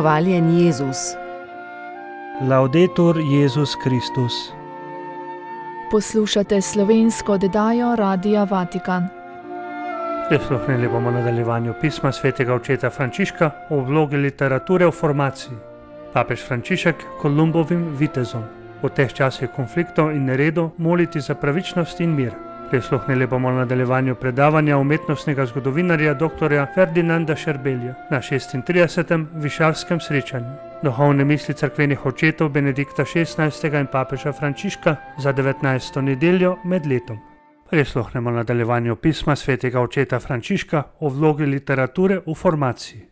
Hvaljen Jezus. Laudetur Jezus Kristus. Poslušate slovensko oddajo Radia Vatikan. Prisluhnili bomo nadaljevanju pisma svetega očeta Frančiška o vlogi literature v formaciji. Papež Frančišek Kolumbovim vitezom. V teh časih konfliktov in neredov moliti za pravičnost in mir. Prisluhnili bomo nadaljevanju predavanja umetnostnega zgodovinarja dr. Ferdinanda Scherbelja na 36. Višavskem srečanju. Duhovne misli cerkvenih očetov Benedikta XVI. In papeža Frančiška za 19. nedeljo med letom. Prisluhnemo nadaljevanju pisma svetega očeta Frančiška o vlogi literature v formaciji.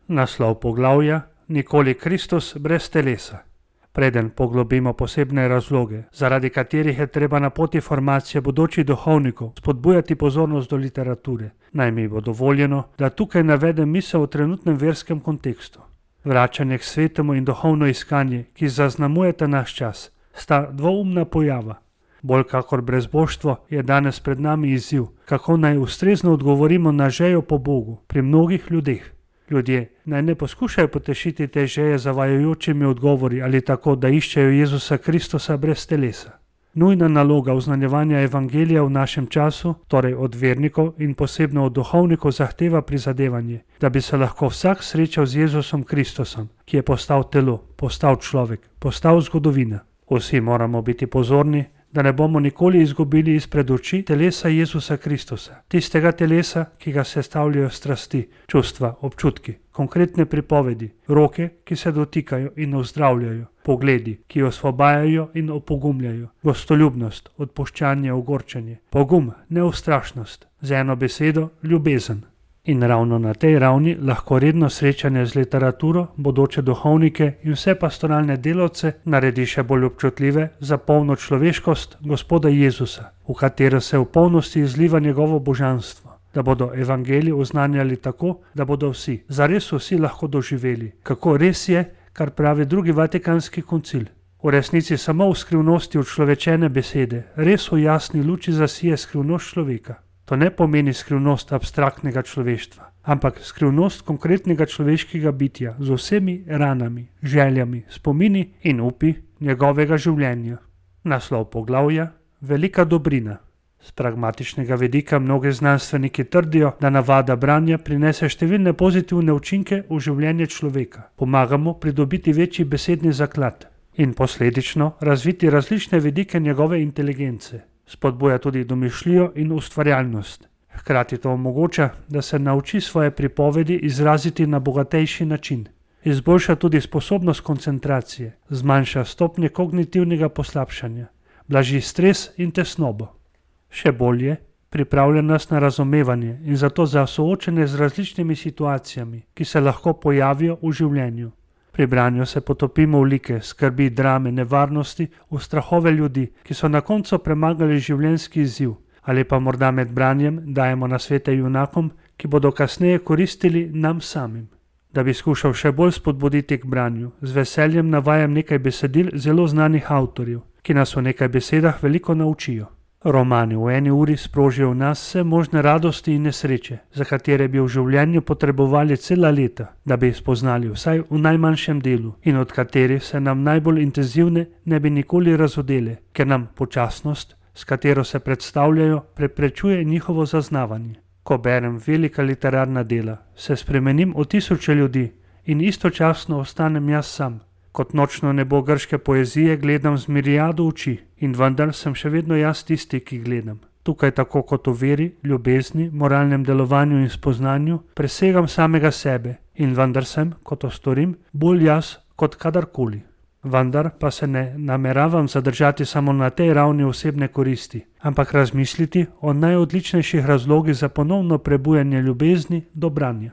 Naslov poglavja: Nikoli Kristus brez telesa. Preden poglobimo posebne razloge, zaradi katerih je treba na poti formacije bodočih duhovnikov spodbujati pozornost do literature, naj mi bo dovoljeno, da tukaj navedem misel o trenutnem verskem kontekstu. Vračanje k svetemu in duhovno iskanje, ki zaznamujeta naš čas, sta dvoumna pojava. Bolj kakor brezboštvo je danes pred nami izziv, kako naj ustrezno odgovorimo na željo po Bogu pri mnogih ljudeh. Ljudje naj ne poskušajo potešiti te želje zavajajočimi odgovori ali tako, da iščejo Jezusa Kristusa brez telesa. Nujna naloga oznanjevanja evangelija v našem času, torej od vernikov in posebno od duhovnikov, zahteva prizadevanje, da bi se lahko vsak srečal z Jezusom Kristusom, ki je postal telo, postal človek, postal zgodovina. Vsi moramo biti pozorni, da ne bomo nikoli izgubili izpred oči telesa Jezusa Kristusa, tistega telesa, ki ga sestavljajo strasti, čustva, občutki, konkretne pripovedi, roke, ki se dotikajo in ozdravljajo, pogledi, ki osvobajajo in opogumljajo, gostoljubnost, odpuščanje, ogorčenje, pogum, neustrašnost, z eno besedo ljubezen. In ravno na tej ravni lahko redno srečanje z literaturo bodoče duhovnike in vse pastoralne delavce naredi še bolj občutljive za polno človeškost Gospoda Jezusa, v katero se v polnosti izliva njegovo božanstvo, da bodo evangelij oznanjali tako, da bodo vsi, zares vsi lahko doživeli, kako res je, kar pravi drugi Vatikanski koncil. V resnici samo v skrivnosti učlovečene besede, res v jasni luči zasije skrivnost človeka. To ne pomeni skrivnost abstraktnega človeštva, ampak skrivnost konkretnega človeškega bitja z vsemi ranami, željami, spomini in upi njegovega življenja. Naslov poglavja: Velika dobrina. Z pragmatičnega vidika mnogi znanstveniki trdijo, da navada branja prinese številne pozitivne učinke v življenje človeka, pomagamo pridobiti večji besedni zaklad in posledično razviti različne vidike njegove inteligence. Spodbuja tudi domišljijo in ustvarjalnost. Hkrati to omogoča, da se nauči svoje pripovedi izraziti na bogatejši način. Izboljša tudi sposobnost koncentracije, zmanjša stopnje kognitivnega poslabšanja, blaži stres in tesnobo. Še bolje, pripravlja nas na razumevanje in zato za soočenje z različnimi situacijami, ki se lahko pojavijo v življenju. Pri branju se potopimo v like, skrbi, drame, nevarnosti, v strahove ljudi, ki so na koncu premagali življenjski izziv, ali pa morda med branjem dajemo nasvete junakom, ki bodo kasneje koristili nam samim. Da bi skušal še bolj spodbuditi k branju, z veseljem navajam nekaj besedil zelo znanih avtorjev, ki nas v nekaj besedah veliko naučijo. Romani v eni uri sprožijo v nas vse možne radosti in nesreče, za katere bi v življenju potrebovali cela leta, da bi jih spoznali vsaj v najmanjšem delu in od katerih se nam najbolj intenzivne ne bi nikoli razodele, ker nam počasnost, s katero se predstavljajo, preprečuje njihovo zaznavanje. Ko berem velika literarna dela, se spremenim v tisoče ljudi in istočasno ostanem jaz sam. Kot nočno nebo grške poezije gledam z miriado oči in vendar sem še vedno jaz tisti, ki gledam. Tukaj tako kot v veri, ljubezni, moralnem delovanju in spoznanju presegam samega sebe in vendar sem, ko to storim, bolj jaz kot kadarkoli. Vendar pa se ne nameravam zadržati samo na tej ravni osebne koristi, ampak razmisliti o najodličnejših razlogih za ponovno prebujanje ljubezni do branja.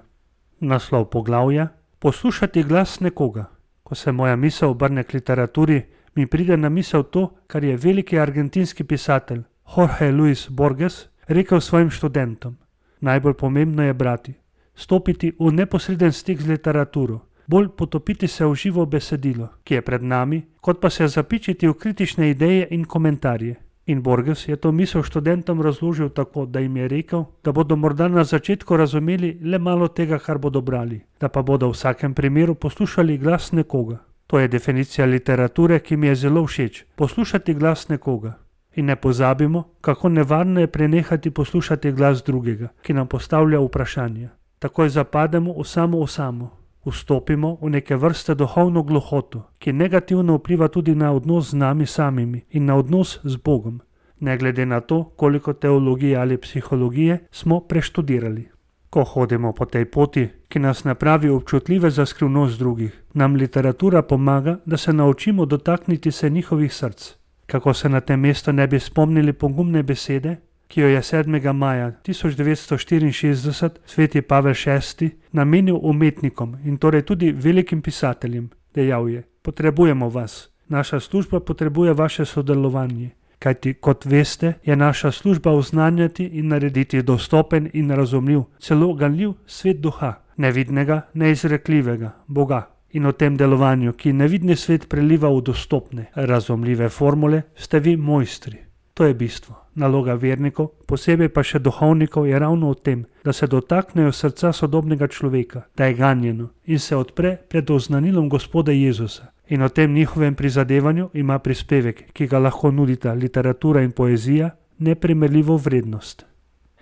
Naslov poglavja: Poslušati glas nekoga. Ko se moja misel obrne k literaturi, mi pride na misel to, kar je veliki argentinski pisatelj Jorge Luis Borges rekel svojim študentom. Najbolj pomembno je brati, stopiti v neposreden stik z literaturo, bolj potopiti se v živo besedilo, ki je pred nami, kot pa se zapičiti v kritične ideje in komentarje. In Borges je to misel študentom razložil tako, da jim je rekel, da bodo morda na začetku razumeli le malo tega, kar bodo brali, da pa bodo v vsakem primeru poslušali glas nekoga. To je definicija literature, ki mi je zelo všeč. Poslušati glas nekoga. In ne pozabimo, kako nevarno je prenehati poslušati glas drugega, ki nam postavlja vprašanja. Takoj zapademo v samo. Vstopimo v neke vrste duhovno gluhoto, ki negativno vpliva tudi na odnos z nami samimi in na odnos z Bogom, ne glede na to, koliko teologije ali psihologije smo preštudirali. Ko hodimo po tej poti, ki nas napravi občutljive za skrivnost drugih, nam literatura pomaga, da se naučimo dotakniti se njihovih src. Kako se na tem mestu ne bi spomnili pogumne besede, ki jo je 7. maja 1964 sveti Pavel VI namenil umetnikom in torej tudi velikim pisateljem. Dejal je: potrebujemo vas, naša služba potrebuje vaše sodelovanje, kajti kot veste, je naša služba oznanjati in narediti dostopen in razumljiv, celo ganljiv svet duha, nevidnega, neizrekljivega, Boga. In v tem delovanju, ki nevidni svet preliva v dostopne, razumljive formule, ste vi mojstri. To je bistvo. Naloga vernikov, posebej pa še duhovnikov, je ravno v tem, da se dotaknejo srca sodobnega človeka, da je ganjeno in se odpre pred oznanilom Gospoda Jezusa. In v tem njihovem prizadevanju ima prispevek, ki ga lahko nudita literatura in poezija, neprimerljivo vrednost.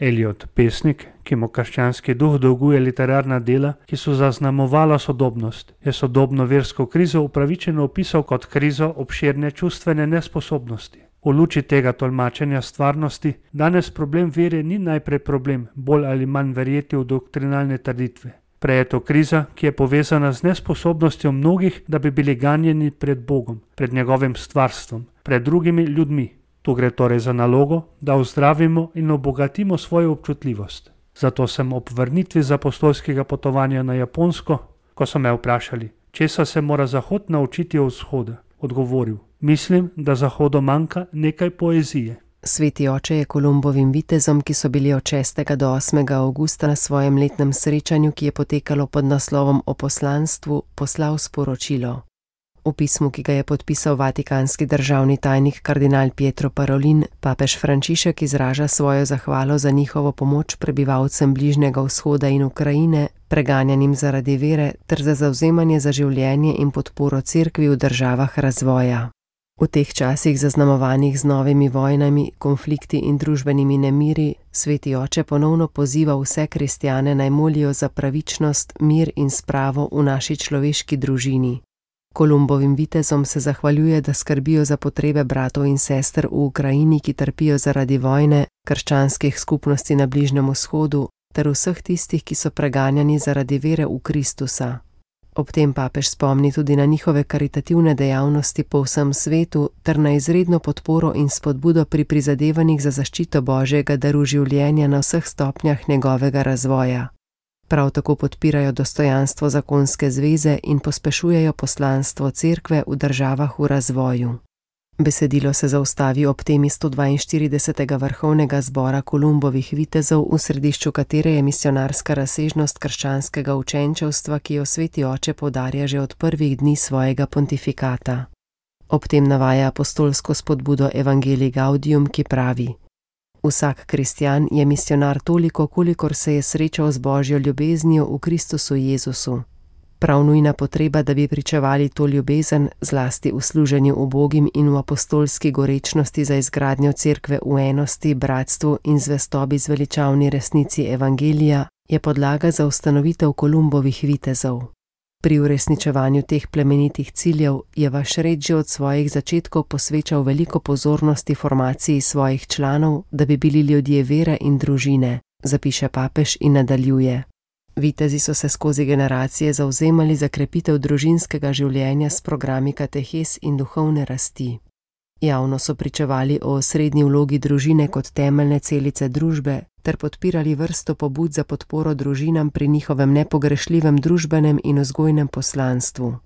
Eliot, pesnik, ki mu krščanski duh dolguje literarna dela, ki so zaznamovala sodobnost, je sodobno versko krizo upravičeno opisal kot krizo obširne čustvene nesposobnosti. V luči tega tolmačenja stvarnosti danes problem vere ni najprej problem bolj ali manj verjeti v doktrinalne trditve. Prej je to kriza, ki je povezana z nesposobnostjo mnogih, da bi bili ganjeni pred Bogom, pred njegovim stvarstvom, pred drugimi ljudmi. Tu gre torej za nalogo, da ozdravimo in obogatimo svojo občutljivost. Zato sem ob vrnitvi z apostolskega potovanja na Japonsko, ko so me vprašali, česa se mora Zahod naučiti od vzhoda, odgovoril: mislim, da Zahodu manjka nekaj poezije. Sveti oče je Kolumbovim vitezom, ki so bili od 6. do 8. avgusta na svojem letnem srečanju, ki je potekalo pod naslovom O poslanstvu, poslal sporočilo. V pismu, ki ga je podpisal vatikanski državni tajnik kardinal Pietro Parolin, papež Frančišek izraža svojo zahvalo za njihovo pomoč prebivalcem Bližnjega vzhoda in Ukrajine, preganjanim zaradi vere, ter za zavzemanje za življenje in podporo cerkvi v državah razvoja. V teh časih zaznamovanih z novimi vojnami, konflikti in družbenimi nemiri, sveti oče ponovno poziva vse kristjane naj molijo za pravičnost, mir in spravo v naši človeški družini. Kolumbovim vitezom se zahvaljuje, da skrbijo za potrebe bratov in sester v Ukrajini, ki trpijo zaradi vojne, krščanskih skupnosti na Bližnjem vzhodu, ter vseh tistih, ki so preganjani zaradi vere v Kristusa. Ob tem papež spomni tudi na njihove karitativne dejavnosti po vsem svetu ter na izredno podporo in spodbudo pri prizadevanjih za zaščito Božjega daru življenja na vseh stopnjah njegovega razvoja. Prav tako podpirajo dostojanstvo zakonske zveze in pospešujejo poslanstvo cerkve v državah v razvoju. Besedilo se zaustavi ob temi 142. vrhovnega zbora Kolumbovih vitezov, v središču katere je misionarska razsežnost krščanskega učenčevstva, ki jo sveti oče poudarja že od prvih dni svojega pontifikata. Ob tem navaja apostolsko spodbudo Evangelii Gaudium, ki pravi: vsak kristjan je misionar toliko, kolikor se je srečal z Božjo ljubeznijo v Kristusu Jezusu. Prav nujna potreba, da bi pričevali to ljubezen, zlasti v služenju ubogim in v apostolski gorečnosti za izgradnjo cerkve v enosti, bratstvu in zvestobi zveličavni resnici Evangelija, je podlaga za ustanovitev Kolumbovih vitezov. Pri uresničevanju teh plemenitih ciljev je vaš red že od svojih začetkov posvečal veliko pozornosti formaciji svojih članov, da bi bili ljudje vere in družine, zapiše papež in nadaljuje. Vitezi so se skozi generacije zavzemali za krepitev družinskega življenja s programi katehes in duhovne rasti. Javno so pričevali o osrednji vlogi družine kot temeljne celice družbe ter podpirali vrsto pobud za podporo družinam pri njihovem nepogrešljivem družbenem in vzgojnem poslanstvu.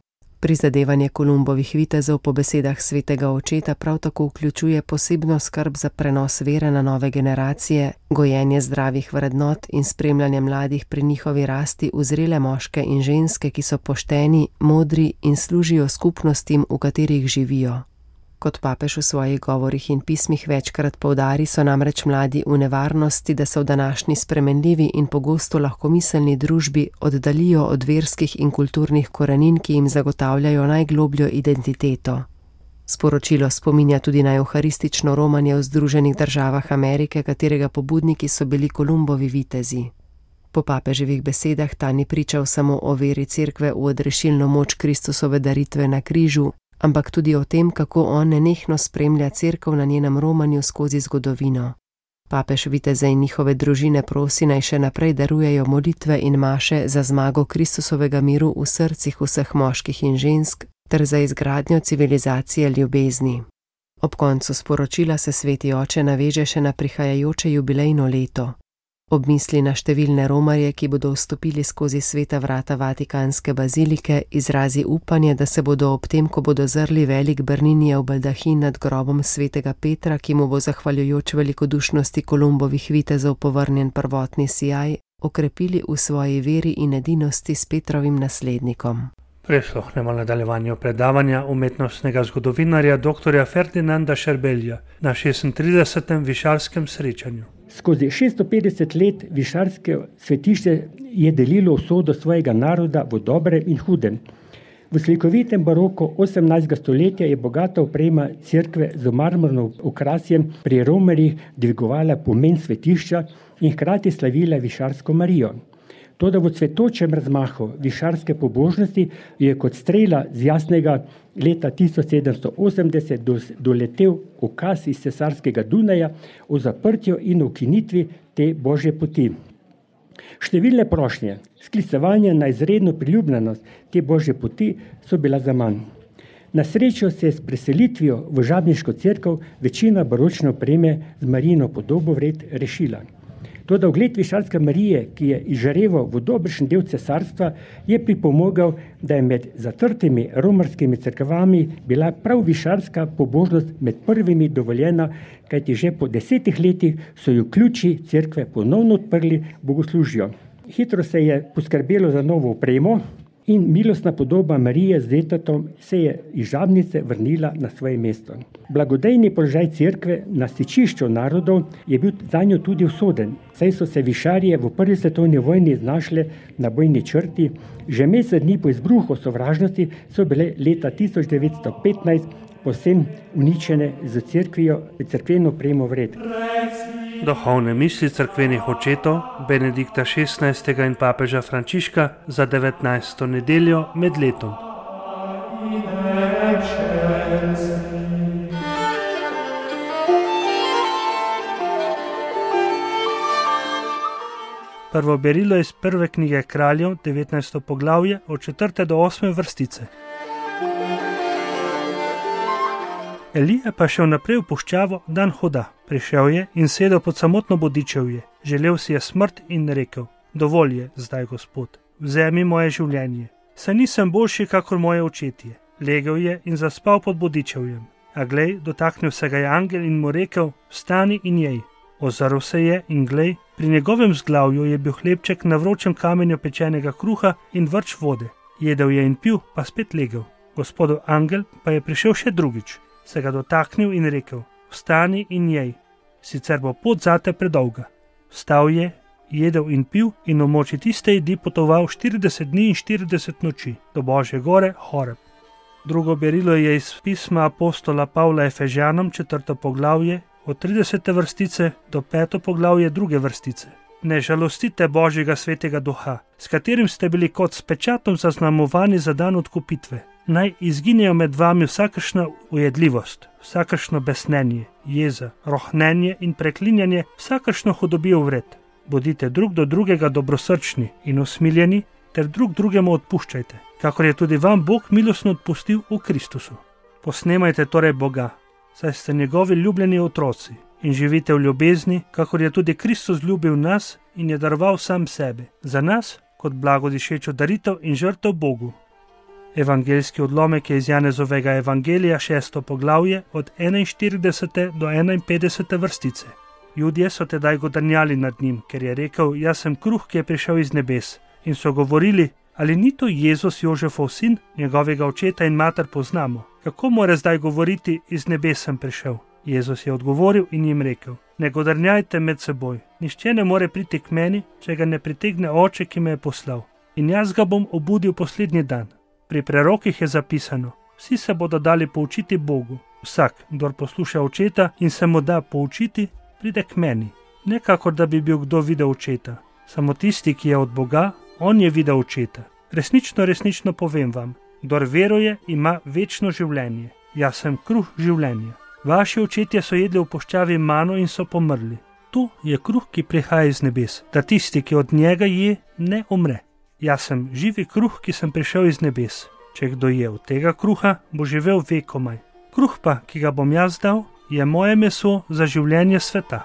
Prizadevanje Kolumbovih vitezov po besedah svetega očeta prav tako vključuje posebno skrb za prenos vere na nove generacije, gojenje zdravih vrednot in spremljanje mladih pri njihovi rasti v zrele moške in ženske, ki so pošteni, modri in služijo skupnostim, v katerih živijo. Kot papež v svojih govorih in pismih večkrat poudari, so namreč mladi v nevarnosti, da se v današnji spremenljivi in pogosto lahkomiselni družbi oddaljijo od verskih in kulturnih korenin, ki jim zagotavljajo najglobljo identiteto. Sporočilo spominja tudi na evharistično romanje v Združenih državah Amerike, katerega pobudniki so bili Kolumbovi vitezi. Po papeževih besedah ta ni pričal samo o veri cerkve v odrešilno moč Kristusove daritve na križu, ampak tudi o tem, kako on nenehno spremlja cerkev na njenem romanju skozi zgodovino. Papež viteze in njihove družine prosi, naj še naprej darujejo molitve in maše za zmago Kristusovega miru v srcih vseh moških in žensk ter za izgradnjo civilizacije ljubezni. Ob koncu sporočila se sveti oče naveže še na prihajajoče jubilejno leto. Ob misli na številne romarje, ki bodo vstopili skozi sveta vrata Vatikanske bazilike, izrazi upanje, da se bodo ob tem, ko bodo zrli velik Berninijev baldahin nad grobom svetega Petra, ki mu bo zahvaljujoč velikodušnosti Kolumbovih vitezov povrnjen prvotni sijaj, okrepili v svoji veri in edinosti s Petrovim naslednikom. Prisluhnemo nadaljevanju predavanja umetnostnega zgodovinarja dr. Ferdinanda Scherbelja na 36. višarskem srečanju. Skozi 650 let višarske svetišče je delilo usodo svojega naroda v dobrem in hudem. V slikovitem baroku 18. stoletja je bogata oprema cerkve z marmornim okrasjem pri romarjih dvigovala pomen svetišča in hkrati slavila višarsko Marijo. Toda v cvetočem razmahu višarske pobožnosti je kot strela z jasnega leta 1780 doletel ukaz iz cesarskega Dunaja o zaprtju in ukinitvi te božje poti. Številne prošnje, sklicevanje na izredno priljubljenost te božje poti so bila zaman. Na srečo se je s preselitvijo v žabniško cerkev večina baročne opreme z Marijino podobo vred rešila. Toda ugled višarske Marije, ki je izžareval v dobršen del cesarstva, je pripomogel, da je med zatrtimi romarskimi cerkvami bila prav višarska pobožnost med prvimi dovoljena, kajti že po 10 letih so jo ključi cerkve ponovno odprli bogoslužju. Hitro se je poskrbelo za novo opremo in milostna podoba Marije z detatom se je iz žabnice vrnila na svoje mesto. Blagodejni položaj cerkve na stičišču narodov je bil zanjo tudi usoden, saj so se višarje v prvi svetovni vojni znašle na bojni črti, že mesec dni po izbruhu sovražnosti so bile leta 1915 povsem uničene z cerkveno opremo vred. Duhovne misli cerkvenih očetov Benedikta XVI. In papeža Frančiška za 19. nedeljo med letom. Prvo berilo iz prve knjige Kraljev, 19. poglavje, od 4. do 8. vrstice. Elija pa šel naprej v puščavo dan hoda. Prišel je in sedel pod samotno bodičevje. Želel si je smrt in rekel: dovolj je zdaj, Gospod, vzemi moje življenje. Saj nisem boljši kakor moje očetje. Legel je in zaspal pod bodičevjem. A glej, dotaknil se ga je angel in mu rekel: vstani in jej. Ozrl se je in glej, pri njegovem zglavju je bil hlebček na vročem kamenju pečenega kruha in vrč vode. Jedel je in pil, pa spet legel. Gospodov angel pa je prišel še drugič, se ga dotaknil in rekel: vstani in jej, sicer bo pot zate predolga. Vstal je, jedel in pil in v moči tiste jedi potoval 40 dni in 40 noči do Božje gore Horeb. Drugo berilo je iz pisma apostola Pavla Efežanom, 4. poglavje, od 30. vrstice do 5. poglavje 2. vrstice. Ne žalostite Božjega svetega duha, s katerim ste bili kot s pečatom zaznamovani za dan odkupitve. Naj izginejo med vami vsakršna ujedljivost, vsakršno besnenje, jeza, rohnenje in preklinjanje, vsakršno hudobijo vred. Bodite drug do drugega dobrosrčni in usmiljeni, ter drug drugemu odpuščajte, kakor je tudi vam Bog milostno odpustil v Kristusu. Posnemajte torej Boga, saj ste njegovi ljubljeni otroci, in živite v ljubezni, kakor je tudi Kristus ljubil nas in je daroval sam sebe, za nas kot blagodišečo daritev in žrtev Bogu. Evangeljski odlomek je iz Janezovega evangelija, 6. poglavje, od 41. do 51. vrstice. Judje so tedaj godrnjali nad njim, ker je rekel: jaz sem kruh, ki je prišel iz nebes. In so govorili: Ali ni to Jezus Jožefov sin, njegovega očeta in mater poznamo? Kako mora zdaj govoriti, iz nebes sem prišel? Jezus je odgovoril in jim rekel: ne godrnjajte med seboj. Nihče ne more priti k meni, če ga ne pritegne oče, ki me je poslal. In jaz ga bom obudil poslednji dan. Pri prerokih je zapisano: vsi se bodo dali poučiti Bogu. Vsak, kdor posluša očeta in se mu da poučiti, pride k meni. Ne kakor da bi bil kdo videl očeta. Samo tisti, ki je od Boga, on je videl očeta. Resnično povem vam, kdor veruje, ima večno življenje. Jaz sem kruh življenja. Vaši očetje so jedli v puščavi mano in so pomrli. Tu je kruh, ki prihaja iz nebes, da tisti, ki od njega je, ne umre. Jaz sem živi kruh, ki sem prišel iz nebes. Če kdo je od tega kruha, bo živel vekomaj. Kruh pa, ki ga bom jaz dal, je moje meso za življenje sveta.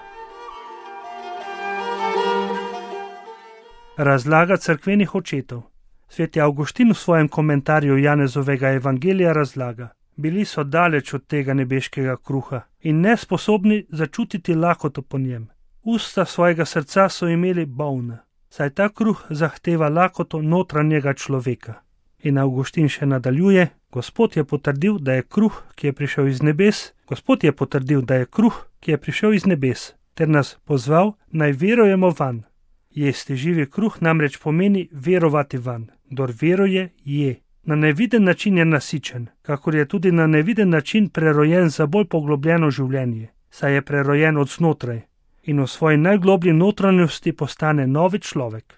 Razlaga cerkvenih očetov. Sveti Avguštin v svojem komentarju Janezovega evangelija razlaga: bili so daleč od tega nebeškega kruha in nesposobni začutiti lakoto po njem. Usta svojega srca so imeli bolna, saj ta kruh zahteva lakoto notranjega človeka. In Avguštin še nadaljuje: Gospod je potrdil, da je kruh, ki je prišel iz nebes, ter nas pozval, naj verujemo vanj. Jesti živi kruh namreč pomeni verovati vanj. Kdor veruje, je. Na neviden način je nasičen, kakor je tudi na neviden način prerojen za bolj poglobljeno življenje, saj je prerojen od znotraj in v svoji najgloblji notranjosti postane novi človek.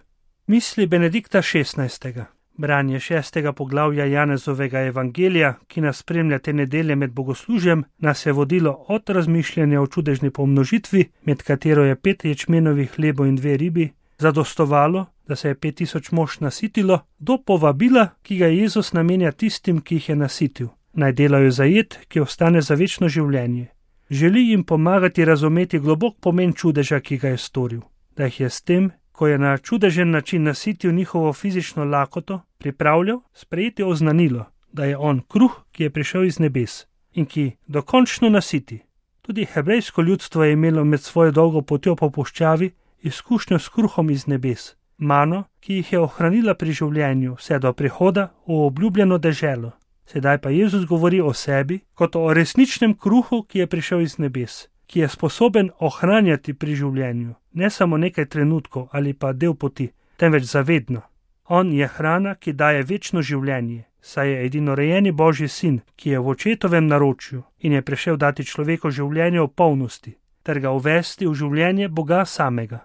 Misli Benedikta XVI. Branje 6. poglavja Janezovega evangelija, ki nas spremlja te nedelje med bogoslužjem, nas je vodilo od razmišljanja o čudežni pomnožitvi, med katero je 5 ječmenovih hlebov in 2 ribi, zadostovalo, da se je 5000 mož nasitilo, do povabila, ki ga Jezus namenja tistim, ki jih je nasitil. Naj delajo za jed, ki ostane za večno življenje. Želi jim pomagati razumeti globok pomen čudeža, ki ga je storil. Da jih je s tem, ko je na čudežen način nasitil njihovo fizično lakoto, pripravljal sprejeti oznanilo, da je on kruh, ki je prišel iz nebes in ki dokončno nasiti. Tudi hebrejsko ljudstvo je imelo med svojo dolgo potjo po puščavi izkušnjo s kruhom iz nebes, mano, ki jih je ohranila pri življenju vse do prihoda v obljubljeno deželo. Sedaj pa Jezus govori o sebi kot o resničnem kruhu, ki je prišel iz nebes, ki je sposoben ohranjati pri življenju, ne samo nekaj trenutkov ali pa del poti, temveč zavedno. On je hrana, ki daje večno življenje, saj je edinorejeni Božji sin, ki je v očetovem naročju in je prišel dati človeku življenje v polnosti, ter ga uvesti v življenje Boga samega.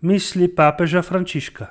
Misli papeža Frančiška.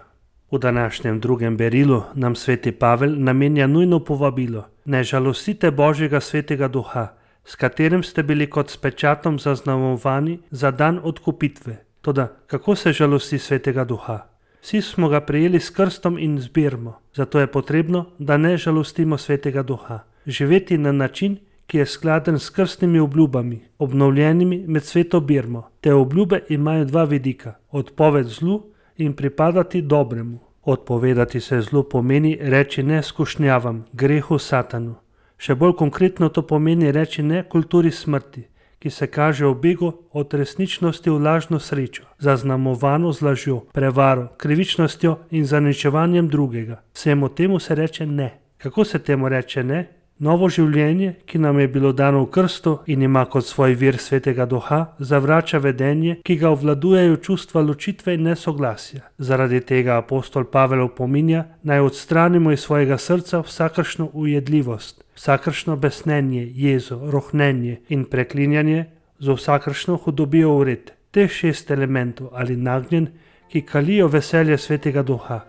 V današnjem drugem berilu nam sveti Pavel namenja nujno povabilo: ne žalostite Božjega svetega duha, s katerim ste bili kot s pečatom zaznamovani za dan odkupitve. Toda kako se žalosti svetega duha? Vsi smo ga prejeli s krstom in z birmo, zato je potrebno, da ne žalostimo svetega duha. Živeti na način, ki je skladen s krstnimi obljubami, obnovljenimi med sveto birmo. Te obljube imajo 2 vidika: odpoved zlu in pripadati dobremu. Odpovedati se zlu pomeni reči ne skušnjavam, grehu, satanu. Še bolj konkretno to pomeni reči ne kulturi smrti, ki se kaže v begu od resničnosti v lažno srečo, zaznamovano z lažjo, prevaro, krivičnostjo in zaničevanjem drugega. Vsemu temu se reče ne. Kako se temu reče ne? Novo življenje, ki nam je bilo dano v krstu in ima kot svoj vir svetega duha, zavrača vedenje, ki ga obvladujejo čustva ločitve in nesoglasja. Zaradi tega apostol Pavel opominja, naj odstranimo iz svojega srca vsakršno ujedljivost, vsakršno besnenje, jezo, rohnenje in preklinjanje, z vsakršno hudobijo vred. Teh 6 elementov ali nagnjen, ki kalijo veselje svetega duha,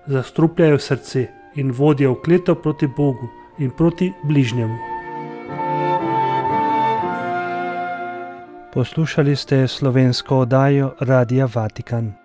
zastrupljajo srce in vodijo v kleto proti Bogu in proti bližnjemu. Poslušali ste slovensko oddajo Radia Vatikan.